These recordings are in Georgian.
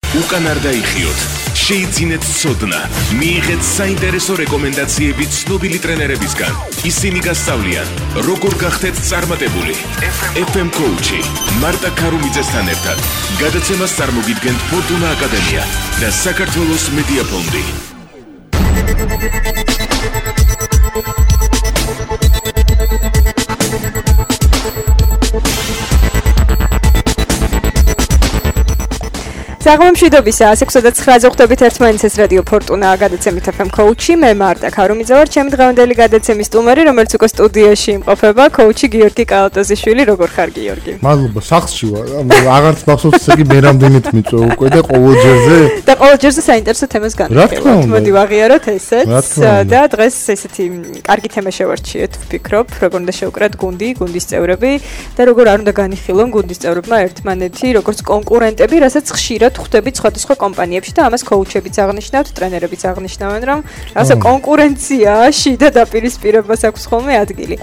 უკან არ დაიხიოთ, შეიძინეთ ცოდნა, მიიღეთ საინტერესო რეკომენდაციები ცნობილი ტრენერებისგან. ისინი გასწავლიან, როგორ გახდეთ წარმატებული. FM Coach-ი მარტა ქარუმიძესთან ერთად გადაცემას წარმოგიდგენთ ფორტუნა აკადემია და საქართველოს მედია ფონდი. საღამომშვიდობისა 6:09 ხვდებით ერთმანეთს რადიო ფორტუნა გადაცემით FM Coach-ი მე მარტა ქარუმიძე ვარ ჩემი დღევანდელი გადაცემის სტუმარი რომელიც უკვე სტუდიაში იმყოფება Coach-ი გიორგი კალატოზიშვილი როგორ ხარ გიორგი მადლობა სახლში ვარ აღარც მახსოვს ესე იგი მე რამდენით მიწვე უკვე და ყოველჯერზე საინტერესო თემას განვიხილავთ მოდი ვაღიაროთ ესეც და დღეს ესეთი კარგი თემა შევარჩიეთ ვფიქრობ როგორ უნდა შევკრათ გუნდის წევრები და როგორ არ უნდა განიხილონ გუნდის წევრებმა ერთმანეთი როგორც კონკურენტები რასაც ხშირად ხვდებით სხვადასხვა კომპანიებში და ამას კოუჩებიც აღნიშნავთ, ტრენერებიც აღნიშნავენ, რომ ასე კონკურენციაში და დაპირისპირებას აქვს ხოლმე ადგილი.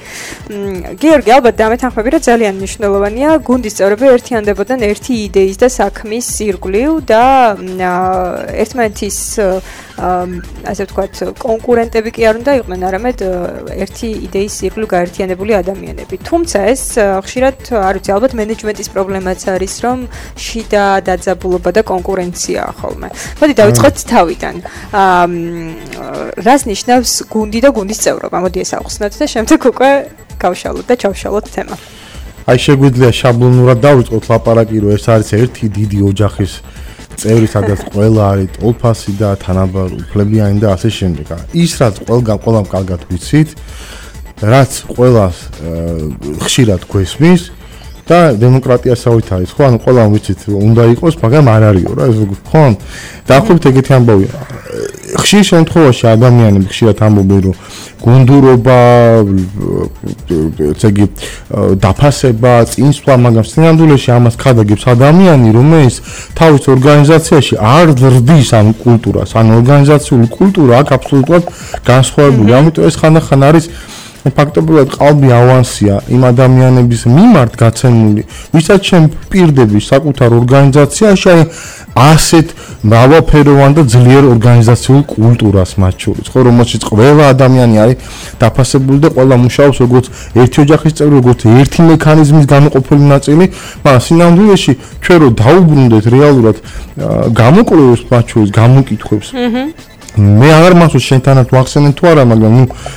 გიორგი, ალბათ დამეთანხმები, რომ ძალიან მნიშვნელოვანია გუნდის წევრები ერთიანდებოდნენ ერთი იდეის და საქმის ირგვლივ და ერთმანეთის ასე ვთქვათ, კონკურენტები კი არ უნდა იყვნენ, არამედ ერთი იდეის ირგვლივ გაერთიანებული ადამიანები. თუმცა ეს ხშირად, არ ვიცი, ალბათ მენეჯმენტის პრობლემაც არის, რომ შიდა დაძაბულობა და კონკურენციაა ხოლმე. მოდი დავიწყოთ თავიდან. რას ნიშნავს გუნდი და გუნდის წევრობა? მოდი ეს ავხსნათ და შემდეგ უკვე გავშალოთ და ჩავშალოთ თემა. აი შეგვიძლია შაბლონურად დავიწყოთ ლაპარაკი, რომ ეს არის ერთი დიდი ოჯახის წევრი, სადაც ყველა არის ტოლფასი და თანაბარუფლებიანი და ასე შემდეგ. ის რაც ყველგან კარგად ვიცით, რაც ყველას ხშირად გვესმის და დემოკრატიასავით არის, ხო? ანუ ყველამ ვიცით, უნდა იყოს, მაგრამ არ არისო რა, ეს ხო? დაახლოებით ეგეთი ამბავია. ხშირ შემთხვევაში ადამიანები ხშირად ამბობენ, რომ გუნდურობა, ესე იგი, დაფასება, წინსვლა, მაგრამ სინამდვილეში ამას ხადაგებს ადამიანი, რომელიც თავის ორგანიზაციაში არ ზრდის ამ კულტურას, ან ორგანიზაციული კულტურა აქ აბსოლუტურად განსხვავებული. ამიტომ ეს ხანდახან არის ფაქტობრივად ყალბი ავანსია იმ ადამიანების მიმართ გაცემული, ვისაც შენ პირდები საკუთარ ორგანიზაციაში ასეთ მრავალფეროვან და ძლიერ ორგანიზაციულ კულტურას მათ შორის, ხო, რომელშიც ყველა ადამიანი არის დაფასებული და ყველა მუშაობს როგორც ერთი ოჯახის წევრი, როგორც ერთი მექანიზმის გამოყოფილი ნაწილი, მაგრამ სინამდვილეში ჩვენ რო დაუბრუნდეთ რეალურად გამოკვლევებს მათ შორის გამოკითხვებს მე აღარ მახსოვს შენთანაც ვახსენე თუ არა, მაგრამ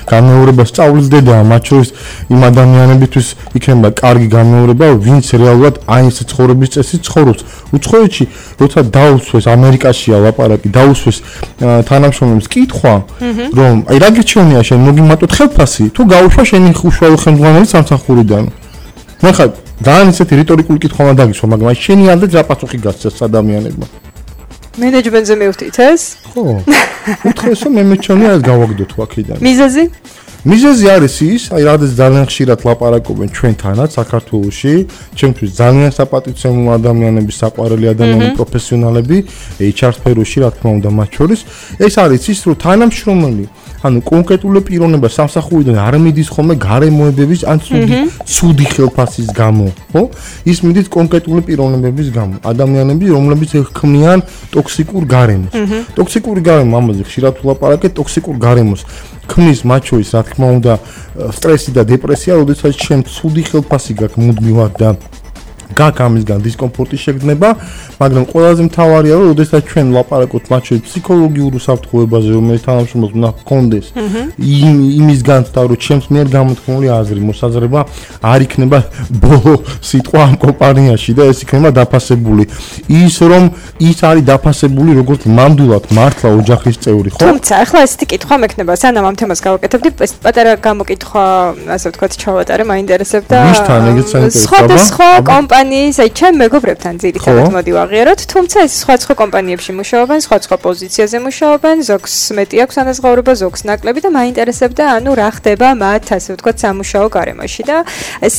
გამეორება სწავლისდედა მათ შორის იმ ადამიანებისთვის იქნება კარგი გამეორება, ვინც რეალურად აი ეს ცხოვრების წესით ცხოვრობს. უცხოეთში, როცა დაუსვეს ამერიკაშია ლაპარაკი, დაუსვეს თანამშრომლებს კითხვა, რომ აი რა გეჩვენია შენ მოგიმატოთ ხელფასი, თუ გაუშვა შენი უშუალო ხელმძღვანელი სამსახურიდან. მე ხა ძალიან ისეთი რიტორიკული კითხვა უნდა დაგისვა, მაგრამ აი შენი ამდენ რა პასუხი გასცეს ადამიანებმა? მენეჯმენტზე მივხვდით ეს? ხო. უთხრეს რომ მე მეჩვენია ეს გავაგდოთ აქედან. მიზეზი? მიზეზი არის ის, აი რადგან ძალიან ხშირად ლაპარაკობენ ჩვენთანაც საქართველოში, ჩემთვის ძალიან საპატივცემულო ადამიანები, საყვარელი ადამიანები, პროფესიონალები, HR სფეროში, რა თქმა უნდა, მათ შორის, ეს არის ის, რომ თანამშრომელი, ანუ კონკრეტული პიროვნება სამსახურიდან არ მიდის ხოლმე გარემოებების ან ცუდი ხელფასის გამო, ხო? ის მიდის კონკრეტული პიროვნებების გამო, ადამიანები, რომლებიც ქმნიან ტოქსიკურ გარემოს. ტოქსიკური გარემო, ამაზე ხშირად ვლაპარაკეთ, ტოქსიკურ გარემოს ქმნის მათ შორის, რა თქმა უნდა, სტრესი და დეპრესია, როდესაც შენ ცუდი ხელფასი გაქვს მუდმივად და გაქვს ამისგან დისკომფორტი შეგრძნება, მაგრამ ყველაზე მთავარია, რომ როდესაც ჩვენ ვლაპარაკობთ მათ შორის ფსიქოლოგიურ უსაფრთხოებაზე, რომელიც თანამშრომლებს უნდა ჰქონდეს, იმისგან და რომ ჩემს მიერ გამოთქმული აზრი, მოსაზრება არ იქნება ბოლო სიტყვა ამ კომპანიაში და ეს იქნება დაფასებული. ის არის დაფასებული როგორც ნამდვილად მართლა ოჯახის წევრი, ხო? თუმცა, ახლა ესეთი კითხვა მექნება, სანამ ამ თემას გავაკეთებდი, ეს პატარა გამოკითხვა, ასე ვთქვათ, ჩავატარე, მაინტერესებდა. ვისთან ეგეც საინტერესოა? სხვადასხვა კომპანიის, აი ჩემ მეგობრებთან ძირითადად მოდი ვაღიაროთ, თუმცა ეს სხვა კომპანიებში მუშაობენ, სხვა პოზიციაზე მუშაობენ, ზოგს მეტი აქვს ანაზღაურება, ზოგს ნაკლები და მაინტერესებდა, ანუ რა ხდება მათ, ასე ვთქვათ, სამუშაო გარემოში და ეს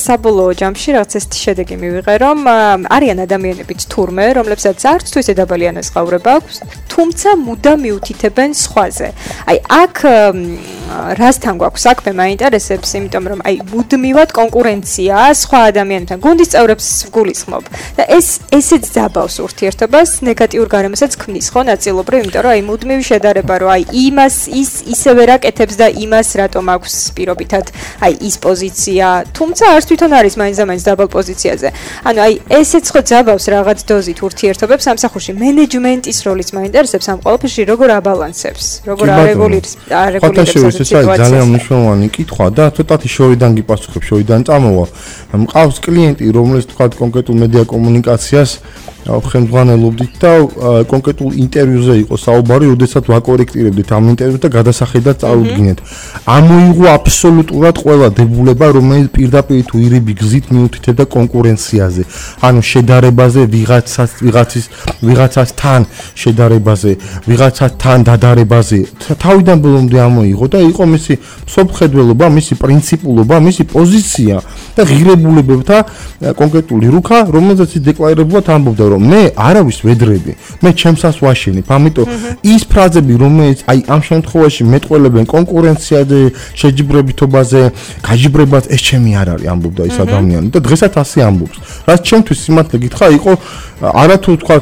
საბოლოო ჯამში რაღაც ეს შედეგი მივიღე, რომ არიან ადამიანებიც თურმე, რომლებსაც არც თუ ისე დაბალი ანაზღაურება აქვს, თუმცა მუდამ მიუთითებენ სხვაზე. აი აქ რასთან გვაქვს საქმე მაინტერესებს, იმიტომ რომ აი მუდმივად კონკურენცია სხვა ადამიანთან გუნდის წევრებს გულისხმობ და ესეც ძაბავს ურთიერთობას ნეგატიურ გარემოსაც ქმნის ხო ნაწილობრივ, იმიტომ რომ აი მუდმივი შედარება რომ აი იმას ისევე რაკეთებს და იმას რატომ აქვს პირობითად აი ის პოზიცია, თუმცა არც თვითონ არის მაინც დაბალ პოზიციაზე. ანუ აი ესეც ხო ძაბავს რაღაც დოზით ურთიერთობებს სამსახურში. მენეჯმენტის როლიც მაინტერესებს ამ ყველაფერში, როგორ აბალანსებს, როგორ არეგულირებს სიტუაციას. ძალიან მნიშვნელოვანი კითხვა და ცოტათი შორიდან გიპასუხებ, შორიდან წამოვა. მყავს კლიენტი, რომელიც თქვა კონკრეტულ მედია კომუნიკაციას ხელმძღვანელობდით და კონკრეტულ ინტერვიუზე იყო საუბარი, როდესაც ვაკორექტირებდით ამ ინტერვიუს და გადასახედად წავუდგინეთ. ამოიღო აბსოლუტურად ყველა დებულება, რომელიც პირდაპირ თუ ირიბი გზით მიუთითებდა კონკურენციაზე. ანუ შედარებაზე, ვიღაცასთან შედარებაზე, ვიღაცასთან დადარებაზე. თავიდან ბოლომდე ამოიღო და იყო მისი სოფხედველობა, მისი პრინციპულობა, მისი პოზიცია და ღირებულებებთა კონკრეტული რუქა, რომელზეც დეკლარირებულად ამბობდა რომ მე არავის ვედრები, მე ჩემსას ვაშენებ. ამიტომ ის ფრაზები, რომელიც აი ამ შემთხვევაში მეტყველებენ კონკურენციაზე, შეჯიბრებითობაზე, გაჯიბრებას, ეს ჩემი არ არის, ამბობდა ის ადამიანი და დღესაც ასე ამბობს. რაც ჩემთვის სიმართლე გითხრა, იყო არათუ თქვა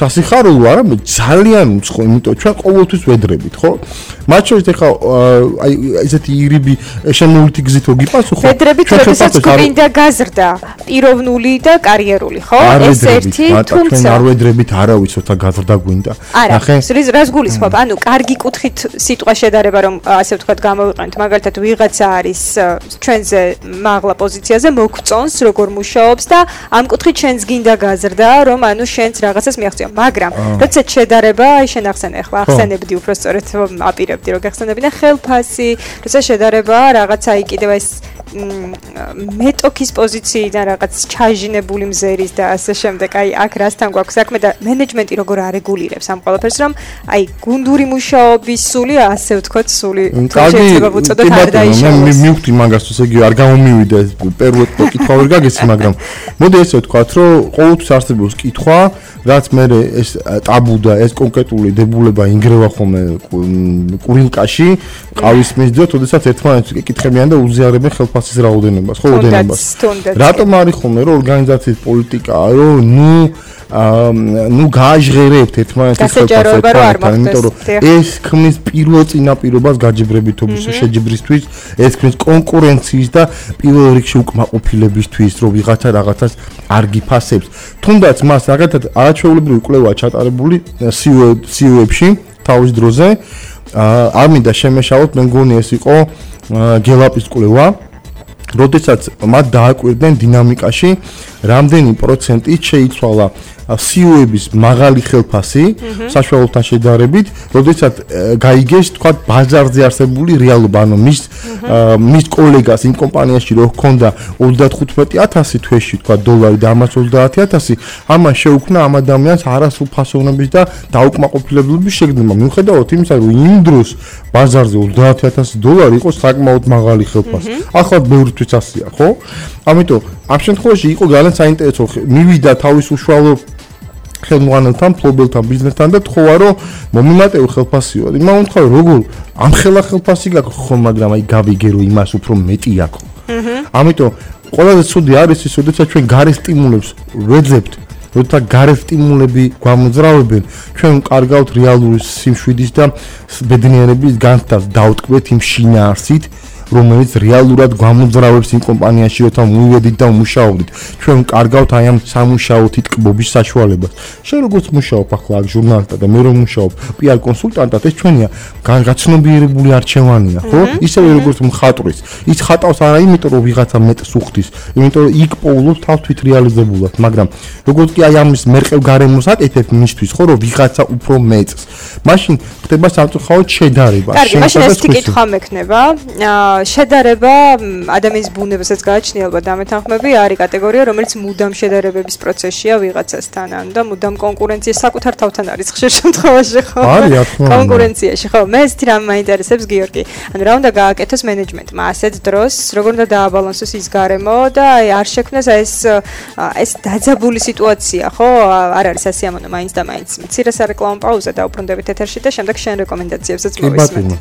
სასიხარულო, არამედ ძალიან უცხო, იმიტომ ჩვენ ყოველთვის ვედრებით, ხო? მათ შორის ეხა აი ესეთი ირიბი შემოვლითი გზით რო გიპასუხო, ვედრებით როდესაც გვინდა გაზრდა, პიროვნული და კარიერული, ხო? ეს ერთი თუმცა არ ვედრებით არავის ოთა გაზრდა გვინდა. ნახე, რას გულისხმობ? ანუ კარგი კუთხით სიტყვა შედარება რომ ასე ვთქვათ გამოვიყენოთ, მაგალითად ვიღაცა არის ჩვენზე მაღლა პოზიციაზე, მოგწონს როგორ მუშაობს და ამ კუთხით შენს გინდა გაზრდა, რომ ანუ შენს რაღაცას მიაღწიო, მაგრამ როდესაც შედარება, აი შენ ახსენე ახლა, ახსენებდი უფრო სწორედ აპირებდი რომ გახსენებინა ხელფასი, როდესაც შედარება რაღაცა აი კიდევ ეს მეტოქის პოზიციიდან რაღაც ჩაჟინებული მზერის და ასე შემდეგ, აი აქ რასთან გვაქვს საქმე და მენეჯმენტი როგორ არეგულირებს ამ ყველაფერს, რომ აი გუნდური მუშაობის სული, ასე ვთქვათ, სული შეიძლება ვუწოდოთ არ დაიშალოს. მე მივხვდი მაგას, ესე იგი არ გამომივიდა ეს პერუეთ კითხვა ვერ გაგეცი, მაგრამ მოდი ესე ვთქვათ, რომ ყოველთვის არსებობს კითხვა, რაც მე ეს ტაბუ და ეს კონკრეტული დებულება ინგრევა ხოლმე კურილკაში, ყავის მისდევთ, როდესაც ერთმანეთს ეკითხებიან და უზიარებენ ხელფასის რაოდენობას, ხო, ოდენობას. რატომ არის ხოლმე რომ ორგანიზაციის პოლიტიკაა, რომ ნუ გააჟღერებთ ერთმანეთის ხელფასს, იმიტომ რომ ეს ქმნის პირველ წინაპირობას გაჯიბრებითობის შეჯიბრისთვის, ეს ქმნის კონკურენციის და პირველ რიგში უკმაყოფილებისთვის, რომ ვიღაცა რაღაცას არ გიფასებს. თუნდაც მას რაღაცად არაჩვეულებრივი კვლევა ჩატარებული CEO-ებში თავის დროზე, არ მინდა შემეშალოთ, მე მგონი ეს იყო გელაპის კვლევა, როდესაც მათ დააკვირდნენ დინამიკაში, რამდენი პროცენტით შეიცვალა CEO-ების მაღალი ხელფასი საშუალოთან შედარებით, როდესაც გაიგეს, თქვა, ბაზარზე არსებული რეალობა, ანუ მის კოლეგას იმ კომპანიაში რო ჰქონდა 35,000 თვეში, თქვა, დოლარი და ამას 30,000, ამან შეუქმნა ამ ადამიანს არასრულფასოვნების და დაუკმაყოფილებლობის შეგრძნება. მიუხედავად იმისა, რომ იმ დროს ბაზარზე 30,000 დოლარი იყო საკმაოდ მაღალი ხელფასი. ახლა ბევრთვის ასეა, ხო? ამიტომ ამ შემთხვევაში იყო ძალიან საინტერესო, მივიდა თავის უშუალო ხელმძღვანელთან, ფლობელთან, ბიზნესთან და თქვა, რომ მომიმატებელ ხელფასიო. იმან უთხრა, როგორ ამ ხელა ხელფასი გაქვს, ხო, მაგრამ აი გავიგე, რომ იმას უფრო მეტი აქვს. ამიტომ ყველაზე ცუდი არის ის, როდესაც ჩვენ გარე სტიმულებს ვეძებთ, როდესაც გარე სტიმულები გვამოძრავებენ, ჩვენ კარგავთ რეალური სიმშვიდის და ბედნიერების განცდას, დავტკბეთ იმ შინაარსით, რომელიც რეალურად გვამოძრავებს იმ კომპანიაში, როცა მივედით და მუშაობდით. ჩვენ კარგავთ აი ამ სამუშაო თითქმობის საშუალებას. შენ როგორც მუშაობ ახლა აქ ჟურნალისტად და მე რომ მუშაობ PR კონსულტანტად, ეს ჩვენია გაცნობიერებული არჩევანია, ხო? ისევე როგორც მხატვრის. ის ხატავს არა იმიტომ, რომ ვიღაცა მეტს უხდის, იმიტომ რომ იქ პოულობს თავს თვით რეალიზებულად, მაგრამ როგორც კი აი ამის მერყევ გარემოს აკეთებ მისთვის, ხო, რომ ვიღაცა უფრო მეტს. მაშინ ხდება სამწუხაროდ შედარება. კარგი, მაშინ ეს კითხვა მექნება. შედარება ადამიანის ბუნებასაც გააჩნია ალბათ დამეთანხმები, არის კატეგორია, რომელიც მუდამ შედარებების პროცესშია ვიღაცასთან, ანუ და მუდამ კონკურენცია საკუთარ თავთან არის ხშირ შემთხვევაში, ხო? კონკურენციაში, ხო? მე ესეთი რამ მაინტერესებს, გიორგი. ანუ რა უნდა გააკეთოს მენეჯმენტმა ასეთ დროს, როგორ უნდა დააბალანსოს ის გარემო და აი არ შექმნას ეს დაძაბული სიტუაცია, ხო? არ არის ასიამოვნო მაინც და მაინც. მცირე სარეკლამო პაუზა და უბრუნდებით ეთერში და შემდეგ შენ რეკომენდაციებსაც მოვისმენთ.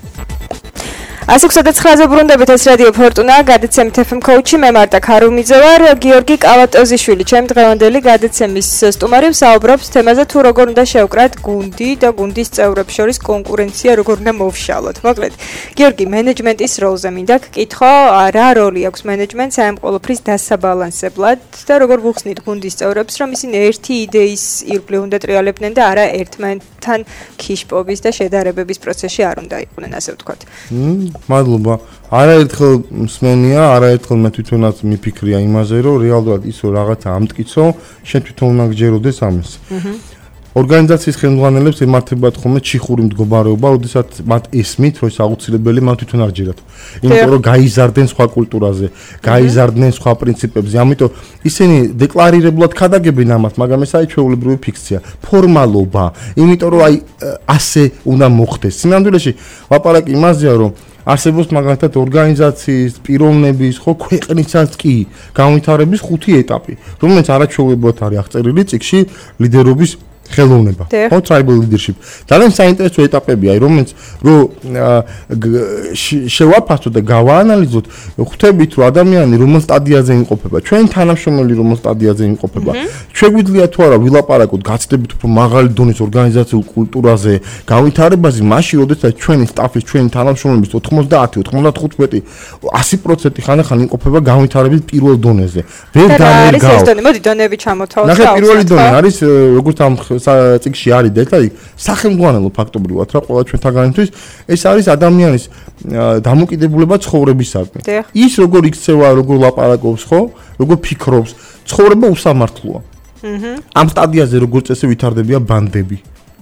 109-ზე ბრუნდებით ეს რადიო ფორტუნა, გადაცემით FM Coach-ი, მე მარტა ქარუმიძე ვარ, გიორგი კავატოზიშვილი, ჩემი დღევანდელი გადაცემის სტუმარი, ვსაუბრობს თემაზე თუ როგორ უნდა შევკრათ გუნდი და გუნდის წევრებს შორის კონკურენცია როგორ უნდა მოვშალოთ. მოკლედ, გიორგი, მენეჯმენტის როლზე მინდა გკითხო, რა როლი აქვს მენეჯმენტს ამ ყოველფრის დასაბალანსებლად და როგორ ვუხსნით გუნდის წევრებს, რომ ისინი ერთი იდეის ირგვლივ უნდა ტრიალებდნენ და არა ერთმანეთთან ქიშპობის და შედარებების პროცესში არ უნდა იყვნენ, ასე ვთქვათ. მადლობა. არაერთხელ მსმენია, არაერთხელ მე თვითონაც მიფიქრია იმაზე, რომ რეალურად ის რომ რაღაცა ამტკიცო, შენ თვითონ უნდა გჯეროდეს ამის. ორგანიზაციის ხელმძღვანელებს ემართებათ ხოლმე ჩიხური მდგომარეობა, როდესაც მათ ესმით, რომ ეს აუცილებელი მათ თვითონ არ ჯერათ. იმიტომ რომ გაიზარდნენ სხვა კულტურაზე, გაიზარდნენ სხვა პრინციპებზე. ამიტომ ისინი დეკლარირებულად ქადაგებენ ამას, მაგრამ ეს არის ჩვეულებრივი ფიქცია, ფორმალობა. იმიტომ რომ აი ასე უნდა მოხდეს. სინამდვილეში ვაპარაკი იმაზეა, რომ არსებობს მაგალითად ორგანიზაციის, პიროვნების, ხო, ქვეყნისაც კი განვითარების 5 ეტაპი, რომელიც არაჩვეულებრივად არის აღწერილი წიგნში ლიდერობის ხელოვნება, ხო, tribal leadership. ძალიან საინტერესო ეტაპებია, რომელიც შევაფასოთ და გავაანალიზოთ, ხვდებით, რომ ადამიანი რომელ სტადიაზე იმყოფება, ჩვენ თანამშრომელი რომელ სტადიაზე იმყოფება. შეგვიძლია თუ არა ვილაპარაკოთ, გაცდებით უფრო მაღალი დონის ორგანიზაციულ კულტურაზე, განვითარებაზე, მაშინ, როდესაც ჩვენი სტაფის, ჩვენი თანამშრომლების 90, 95, 100% ხანახან იმყოფება განვითარების პირველ დონეზე. ვერ დაერგავ. ეს დონე, მოდი დონეები ჩამოთავოთ. ნახე, პირველი დონე არის როგორც ამ წიგში არის დეტალი, სახელმძღვანელო ფაქტობრივად რა ყველა ჩვენთაგანთვის ეს არის ადამიანის დამოკიდებულება ცხოვრებისადმი. ის როგორ იქცევა, როგორ ლაპარაკობს, ხო, როგორ ფიქრობს, ცხოვრება უსამართლოა. ამ სტადიაზე როგორც წესი ვითარდებია ბანდები.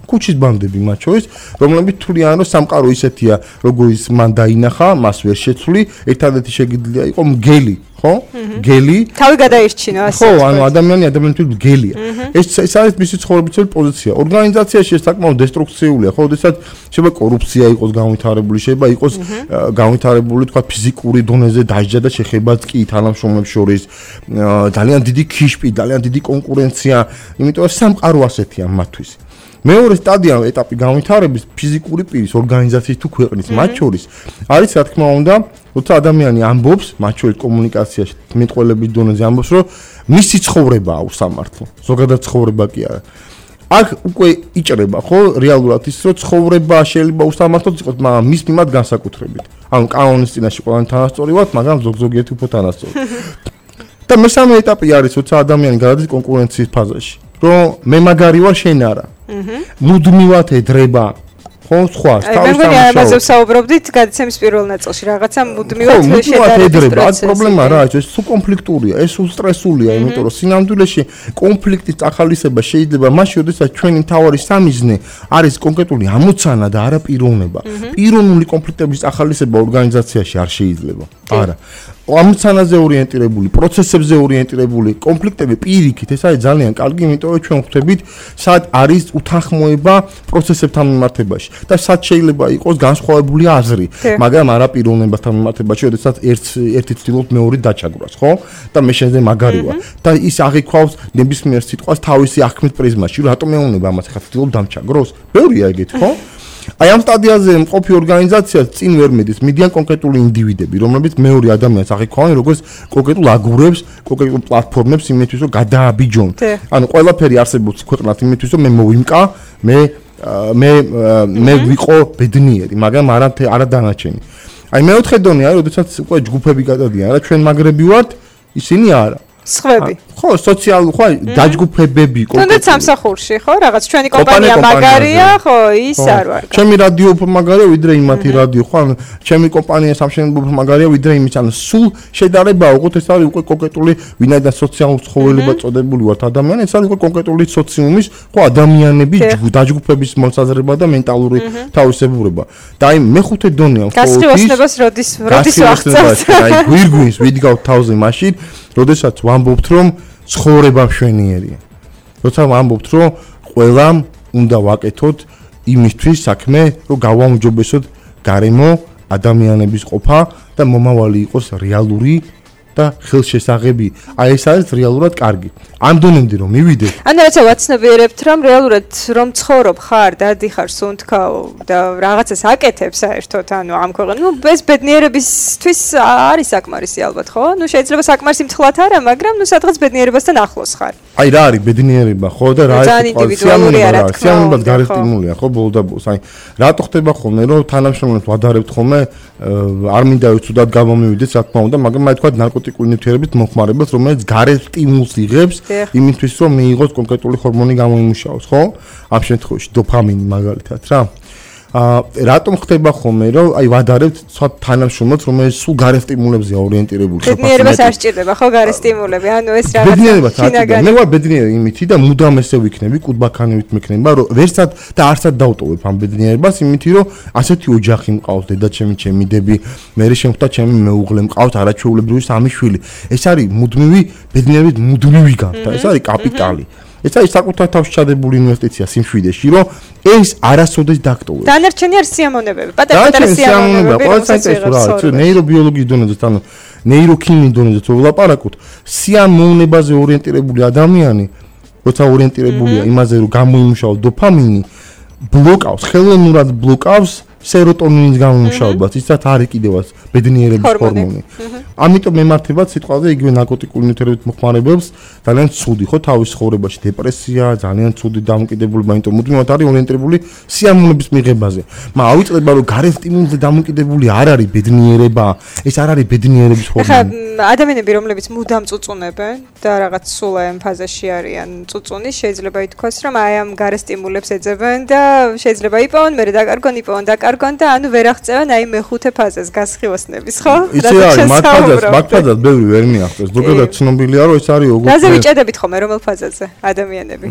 კუჩის ბანდები მათ შორის, რომლებიც თვლიან, რომ სამყარო ისეთია, როგორიც მან დაინახა, მას ვერ შეცვლი, ერთადერთი შეგიძლია იყო მგელი, ხო? გელი. თავი გადაირჩინა ასე. ხო, ანუ ადამიანთვის მგელია. ეს არის მისი ცხოვრებისეული პოზიცია. ორგანიზაციაში ეს საკმაოდ დესტრუქციულია, ხო, როდესაც შეიძლება კორუფცია იყოს განვითარებული, შეიძლება იყოს განვითარებული, თქვა ფიზიკური დონეზე დაჟჯა და შეხებაც კი თანამშრომლებს შორის, ძალიან დიდი ქიშპი, ძალიან დიდი კონკურენცია, იმიტომ რომ სამყარო ასეთია მათთვის. მეორე სტადია ეტაპი განვითარების ფიზიკური პირის ორგანიზაციის თუ ქვეყნის მათ შორის არის რა თქმა უნდა, როცა ადამიანი ამბობს, მათ შორის კომუნიკაციაში, მეტყველების დონეზე ამბობს, რომ მისი ცხოვრებაა უსამართლო. ზოგადად ცხოვრება კი არა. აქ უკვე იჭრება, ხო, რეალურად ის, რომ ცხოვრება შეიძლება უსამართლო იყოს, მაგრამ მის მიმართ განსაკუთრებით. ანუ კანონის წინაშე ყველანი თანასწორი ვართ, მაგრამ ზოგიერთი უფრო თანასწორი. და მესამე ეტაპი არის, როცა ადამიანი გადადის კონკურენციის ფაზაში. რომ მე მაგარი ვარ, შენ არა. მუდმივად ეძრება, ხო, სხვა თავის ამაზე ვსაუბრობდით გადაცემის პირველ ნაწილში, რაღაცა მუდმივად ეძრება. აქ პრობლემა რა არის, ეს სულ კონფლიქტურია, ეს სულ სტრესულია, იმიტომ რომ სინამდვილეში კონფლიქტის წახალისება შეიძლება მაშინ, როდესაც ჩვენი მთავარი სამიზნე არის კონკრეტული ამოცანა და არა პიროვნება. პიროვნული კონფლიქტების წახალისება ორგანიზაციაში არ შეიძლება. არა. ამოცანაზე ორიენტირებული, პროცესებზე ორიენტირებული კონფლიქტები პირიქით, ეს არის ძალიან კარგი, იმიტომ რომ ჩვენ ხვდებით, სად არის უთანხმოება პროცესებთან მიმართებაში და სად შეიძლება იყოს განსხვავებული აზრი, მაგრამ არა პიროვნებასთან მიმართებაში, როდესაც ერთი ცდილობს მეორედ დაჩაგვრას, ხო? და მე შენზე მაგარი ვარ. და ის აღიქვავს ნებისმიერ სიტყვას თავისი აღქმის პრიზმაში, რატომ მეუნება ამას ხა ცდილობ დამჩაგროს? ბევრია ეგეთ, ხო? აი ამ სტადიაზე მყოფი ორგანიზაცია წინ ვერ მედის, მიდიან კონკრეტული ინდივიდები, რომლებიც მეორე ადამიანს აღიქვავენ როგორც კონკრეტულ აგურებს, კონკრეტულ პლატფორმებს იმისთვის, რომ გადააბიჯონ. ანუ ყველაფერი არსებობს ქვეყნად იმისთვის, რომ მე მოვიმკა, მე ვიყო ბედნიერი, მაგრამ არა დანარჩენი. აი მეოთხე დონე არის, როდესაც უკვე ჯგუფები გადადიან, რა ჩვენ მაგრები ვართ, ისინი არა. სხვები. ხო, სოციალური, ხო, დაჯგუფებები კონკრეტულად. თუნდაც სამსახურში, ხო, რაღაც ჩვენი კომპანია მაგარია, ხო, ის არ ვარ. ჩემი რადიო უფრო მაგარია, ვიდრე იმათი რადიო, ხო, ანუ ჩემი კომპანია სამშენებლო უფრო მაგარია, ვიდრე იმის, ანუ სულ შედარება, უყოთ ეს არის უკვე კონკრეტული ვინაიდან სოციალურ ცხოველება წოდებული ვართ ადამიანი, ეს არის უკვე კონკრეტული სოციუმის, ხო, ადამიანების დაჯგუფების მოსაზრება და მენტალური თავისებურება. და აი მეხუთე დონეა, ხო, გასწრებას როდის ვახცევთ. აი გვირგვინს ვიდგავთ თავზე მაშინ, როდესაც ვამბობთ, რომ ცხოვრება მშვენიერია. როცა ვამბობთ, რომ ყველამ უნდა ვაკეთოთ იმისთვის საქმე, რომ გავაუმჯობესოთ გარემო ადამიანების ყოფა და მომავალი იყოს რეალური და ხელშესაღები. აი ეს არის რეალურად კარგი. ამ დონემდე რომ მივიდე. ანუ რაცა ვაცნობიერებთ რომ რეალურად რომ ცხოვრობ ხარ, დადიხარ სუნთქავ და რაღაცას აკეთებ საერთოდ, ანუ ამ ქვეყანაში, ნუ ეს ბედნიერებისთვის არის საკმარისი ალბათ, ხო? ნუ შეიძლება საკმარისი მთხლად არა, მაგრამ ნუ სადღაც ბედნიერებასთან ახლოს ხარ. აი რა არის ბედნიერება, ხო და რა არის სიამოვნებად გარესტიმულია, ხო, ბოლო და ბოლოს. აი რატო ხდება ხოლმე რომ თანამშრომლებს ვადარებთ ხოლმე არ მინდა უცუდად გამომივიდეს, რა თქმა უნდა, მაგრამ აი თქვა ნარკოტიკული ნივთიერებით მოხმარებას, რომელიც გარესტიმულს იღებს იმისთვის რომ მიიღოს კონკრეტული ჰორმონი გამოიმუშაოს, ხო? ამ შემთხვევაში დოფამინი მაგალითად რა. რატომ ხდება ხოლმე რომ აი ვადარებთ სხვა თანამშრომლებს რომელიც სულ გარესტიმულებზეა ორიენტირებული ხარ ბედნიერებას არ სჭირდება ხო გარესტიმულები ანუ ეს რაღაცა ბედნიერებას არ სჭირდება მე ვარ ბედნიერი იმითი და მუდამ ესე ვიქნები კუდბაქანივით მექნება რომ ვერსად და არცად დავტოვებ ამ ბედნიერებას იმითი რომ ასეთი ოჯახი მყავს დედაჩემი ჩემი დები მე შემხვდა ჩემი მეუღლე მყავს არაჩვეულებრივი სამი შვილი ეს არის მუდმივი ბედნიერების მუდმივი განთა ეს არის კაპიტალი ეს არის საკუთარ თავში ჩადებული ინვესტიცია სიმშვიდეში, რომ ეს არასოდეს დაგტოვებს. დანარჩენი არის სიამოვნებები, პატარ-პატარა სიამოვნებები. ყველა საინტერესო რა არის, ნეირობიოლოგიის დონეზე, ანუ ნეიროქიმიის დონეზე ვლაპარაკობთ, სიამოვნებაზე ორიენტირებული ადამიანი, როცა ორიენტირებულია იმაზე, რომ გამოიმუშაოს დოფამინი, ბლოკავს, ხელოვნურად ბლოკავს სეროტონინის გამომუშავებას, ისაც არის კიდევაც ბედნიერების ჰორმონი. ამიტომ მემართებათ სიტყვაზე იგივე ნარკოტიკული ნივთიერებით მოხმარებებს ძალიან ცუდი ხო თავის ცხოვრებაში დეპრესია, ძალიან ცუდი დამოკიდებულება, იმიტომ მუდმივად არის ორიენტირებული სიამოვნების მიღებაზე. მაგრამ ავიწყდება რომ გარესტიმულზე დამოკიდებული არ არის ბედნიერება, ეს არ არის ბედნიერების ჰორმონი. ხა ადამიანები რომლებიც მუდამ წუწუნებენ და რაღაც სულ ამ ფაზაში არიან წუწუნის, შეიძლება ითქვას რომ აი ამ გარესტიმულებს ეძებენ და შეიძლება იპოვონ, მერე დაკარგონ და ანუ ვერ აღწევენ აი მეხუთე ფაზას გასხივოსნების ხო? მაგ-ფაზას ბევრი ვერ მიახსოვს. ზოგადად ცნობილია რომ ეს არის ოღონდ რაზე ვიჭედებით ხოლმე რომელ ფაზაზე ადამიანები?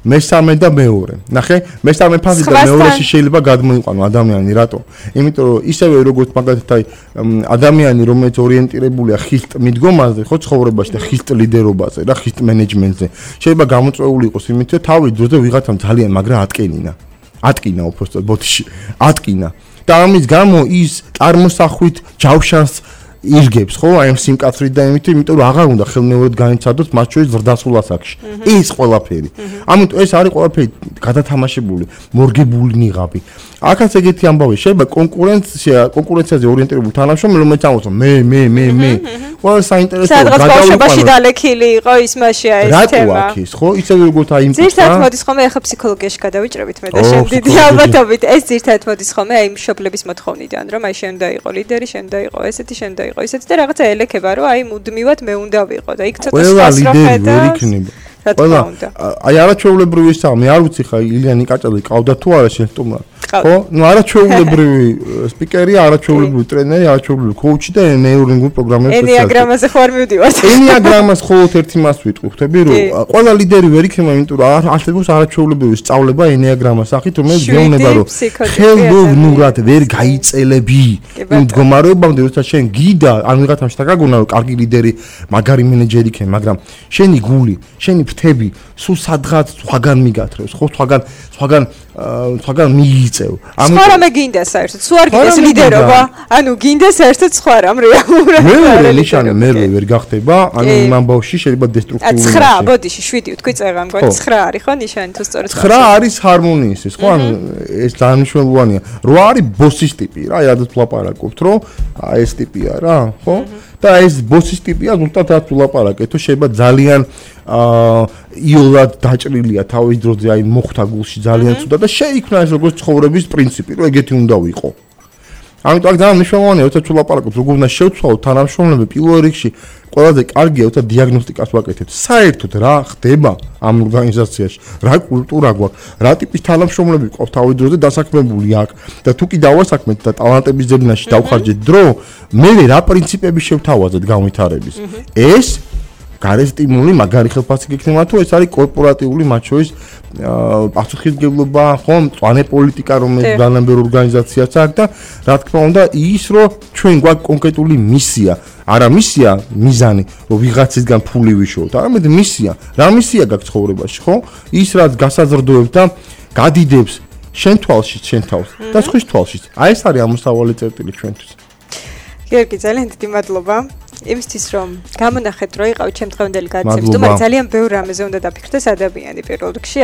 მესამე და მეორე. ნახე, მესამე ფაზი და მეორეში შეიძლება გადმოიყვანო ადამიანი, რატო? იმიტომ რომ ისევე როგორც მაგალითად აი ადამიანი რომელიც ორიენტირებულია ხისტ მიდგომაზე, ხო ცხოვრებაში და ხისტ ლიდერობაზე და ხისტ მენეჯმენტზე, შეიძლება გამოწვეული იყოს იმით რომ თავის დროზე ვიღაცამ ძალიან მაგრა ატკინა უბრალოდ ბოთში ატკინა და ამის გამო ის წარმოსახვით ჯავშანს ირგებს ხო აი ამ სიმკაცრით და იმიტომ რომ აღარ უნდა ხელმეორედ განიცადოს მას შორის ზრდასრულ ასაკში ეს ყველაფერი ამიტომ ეს არის ყველაფერი გადათამაშებული მორგებული ნიღაბი აქაც ეგეთი ამბავი შეიძლება კონკურენციაზე ორიენტირებული თანამშრომელი რომელიც ამბობს მე ყველა საინტერესო გადაუყვანო დალექილი იყო ის მასია ეს თემა რატო აქ ის ხო ისე როგორც აი იმ ზირთად მოდის ხოლმე ახლა ფსიქოლოგიაში გადავიჭრებით მე და შენ დიდი ალბათობით ეს ზირთად მოდის ხოლმე აი მშობლების მოთხოვნიდან რომ აი შენ დაიყო ლიდერი შენ დაიყო ესეთი შენ დაიყო ისეთი და რაღაცა ელექება რომ აი მუდმივად მე უნდა ვიყო და იქ ცოტა სტრესი ვერ იქნება ყველა აი არაჩვეულებრივი ისაა მე არ ვიცი ხა ილიანი კაჭაძე ყავდა თუ არა შენ სტუმრად ხო ნუ არაჩვეულებრივი სპიკერია არაჩვეულებრივი ტრენერი არაჩვეულებრივი კოუჩი და ნეიროლინგურ პროგრამერები ენეაგრამაზე ხوار მივდივართ ენეაგრამას ხოლმე ერთი მას ვიტყვი ხვდები რომ ყველა ლიდერი ვერ იქნება იმიტომ რომ არსებობს არაჩვეულებრივი სწავლება ენეაგრამას სახით რომელიც გეუბნება რომ ხელოვნურად ვერ გაიწელები იმ მდგომარეობამდე როცა შენ გიდა ან ვიღაცამ შეგაგონა რომ კარგი ლიდერი მაგარი მენეჯერი იქნება მაგრამ შენი გული შენი ფრთები სულ სადღაც სხვაგან მიგათრევს ხო სხვაგან მიიწევ სხვა რამე გინდა საერთოდ სულ არ გინდეს ლიდერობა ანუ გინდა საერთოდ სხვა რამ რეალურად მე ნიშანი მე ვერ გახდება ანუ იმ ამბავში შეიძლება დესტრუქტიული 9 ბოდიში 7 თქვი წერა მგონი 9 არის ხო ნიშანი თუ სწორად 9 არის ჰარმონიის ეს ხო ანუ ეს ძალიან მნიშვნელოვანია 8 არის ბოსის ტიპი რა იადაც ვლაპარაკობთ რომ ეს ტიპია რა ხო და ეს ბოსის ტიპია ზუსტად რაც ვლაპარაკეთ თუ შეიძლება ძალიან იოლად დაჭრილია თავის დროზე აი მოხდა გულში ძალიან ცუდა და შეიქმნა ეს როგორც ცხოვრების პრინციპი რომ ეგეთი უნდა ვიყო ამიტომ აქ ძალიან მნიშვნელოვანია როცა ვლაპარაკობთ როგორ უნდა შევცვალოთ თანამშრომლები პირველ რიგში ყველაზე კარგია როცა დიაგნოსტიკას ვაკეთებთ საერთოდ რა ხდება ამ ორგანიზაციაში რა კულტურა გვაქვს რა ტიპის თანამშრომლები ყავს თავის დროზე დასაქმებული აქ და თუ კი დავასაქმეთ და ტალანტების ძებნაში დავხარჯეთ დრო მე რა პრინციპები შევთავაზეთ განვითარების ეს გარესტიმული მაგარი ხელფასი გექნება თუ ეს არის კორპორატიული მათ შორის პასუხისმგებლობა ხო მწვანე პოლიტიკა რომელიც ძალიან ბევრ ორგანიზაციას აქვს და რა თქმა უნდა ის რომ ჩვენ გვაქვს კონკრეტული მისია არა მისია მიზანი რომ ვიღაცისგან ფული ვიშოვოთ არამედ მისია რა მისია გაქვს ცხოვრებაში ხო ის რაც გასაზრდოებს და გადიდებს შენ თვალში შენ თავს და სხვის თვალში აი ეს არის ამოსავალი წერტილი ჩვენთვის გიორგი, ძალიან დიდი მადლობა. იმისთვის რომ გამონახეთ რო იყავით ჩემ დღევანდელი გადაცემის, თუმცა ძალიან ბევრ რამეზე უნდა დაფიქრდეს ადამიანი პირველ რიგში.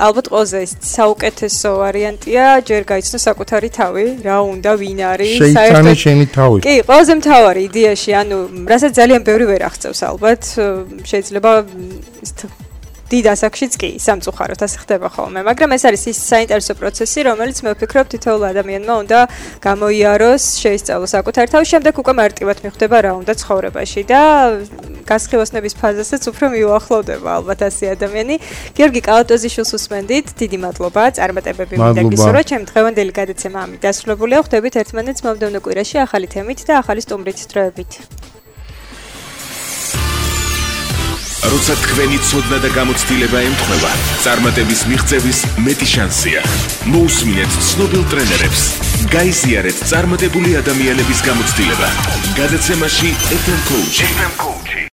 ალბათ ყველაზე საუკეთესო ვარიანტია ჯერ გაიცნო საკუთარი თავი, რა უნდა, ვინ არის, საერთოდ შენი თავი. კი, ყველაზე მთავარი იდეაში, ანუ რასაც ძალიან ბევრი ვერ აღწევს ალბათ, შეიძლება დიდ ასაკშიც კი სამწუხაროდ ასე ხდება ხოლმე, მაგრამ ეს არის ის საინტერესო პროცესი, რომელიც მე ვფიქრობ თითოეულ ადამიანმა უნდა გამოიაროს, შეისწავლოს საკუთარი თავი, შემდეგ უკვე მარტივად მიხვდება რა უნდა ცხოვრებაში და გასხივოსნების ფაზასაც უფრო მიუახლოვდება ალბათ ასე ადამიანი. გიორგი კალატოზიშვილს უსმენდით, დიდი მადლობა, წარმატებები მინდა გისურვოთ. ჩემი დღევანდელი გადაცემა ამით დასრულებულია. ხვდებით ერთმანეთს მომდევნო კვირაში ახალი თემით და ახალი სტუმრით დროებით. როცა თქვენი ცოდნა და გამოცდილება ემთხვევა, წარმატების მიღწევის მეტი შანსია. მოусმინეთ ცნობილ ტრენერებს. გაიზიარეთ წარმატებული ადამიანების გამოცდილება. გადაცემაში FM Coach.